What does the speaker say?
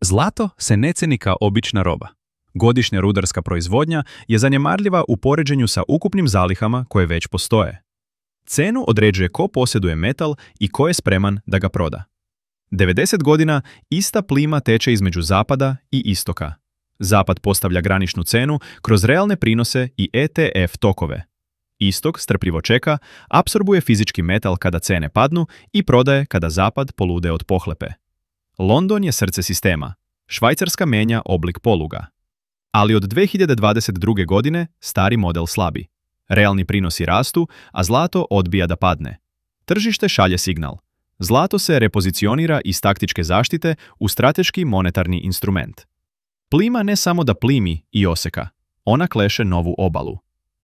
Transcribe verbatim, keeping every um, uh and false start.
Zlato se ne ceni kao obična roba. Godišnja rudarska proizvodnja je zanemarljiva u poređenju sa ukupnim zalihama koje već postoje. Cenu određuje ko posjeduje metal i ko je spreman da ga proda. devedeset godina ista plima teče između zapada i istoka. Zapad postavlja graničnu cenu kroz realne prinose i E T F tokove. Istok strpljivo čeka, apsorbuje fizički metal kada cene padnu i prodaje kada zapad polude od pohlepe. London je srce sistema. Švajcarska menja oblik poluga. Ali od dve hiljade dvadeset druge. godine stari model slabi. Realni prinosi rastu, a zlato odbija da padne. Tržište šalje signal. Zlato se repozicionira iz taktičke zaštite u strateški monetarni instrument. Plima ne samo da plimi i oseka, ona kleše novu obalu.